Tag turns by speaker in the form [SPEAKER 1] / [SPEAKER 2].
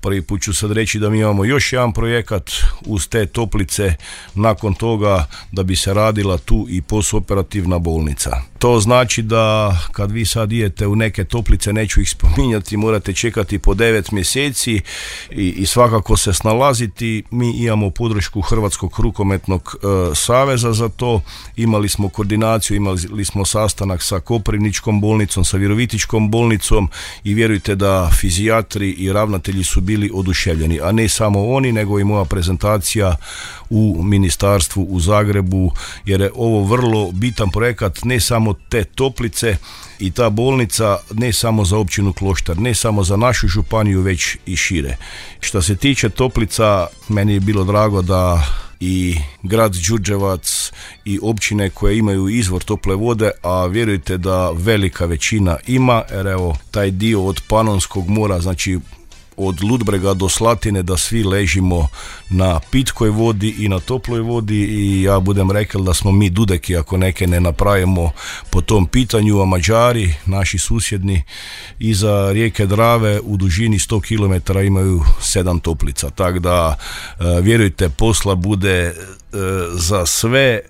[SPEAKER 1] Prvi put ću sad reći da mi imamo još jedan projekat uz te toplice, nakon toga da bi se radila tu i postoperativna bolnica. To znači da kad vi sad idete u neke toplice, neću ih spominjati, morate čekati po 9 mjeseci i svakako se snalaziti. Mi imamo podršku Hrvatskog rukometnog saveza za to, imali smo koordinaciju, imali smo sastanak sa Koprivničkom bolnicom, sa Virovitičkom bolnicom i vjerujte da fizijatri i ravnatelji su bili oduševljeni, a ne samo oni, nego i moja prezentacija u ministarstvu u Zagrebu, jer je ovo vrlo bitan projekat, ne samo te toplice i ta bolnica, ne samo za općinu Kloštar, ne samo za našu županiju, već i šire. Što se tiče toplica, meni je bilo drago da i grad Đurđevac i općine koje imaju izvor tople vode, a vjerujte da velika većina ima, jer evo taj dio od Panonskog mora, znači od Ludbrega do Slatine, da svi ležimo na pitkoj vodi i na toploj vodi i ja budem rekao da smo mi Dudeki ako neke ne napravimo po tom pitanju, a Mađari, naši susjedni, iza rijeke Drave u dužini 100 km imaju 7 toplica, tako da vjerujte, posla bude za sve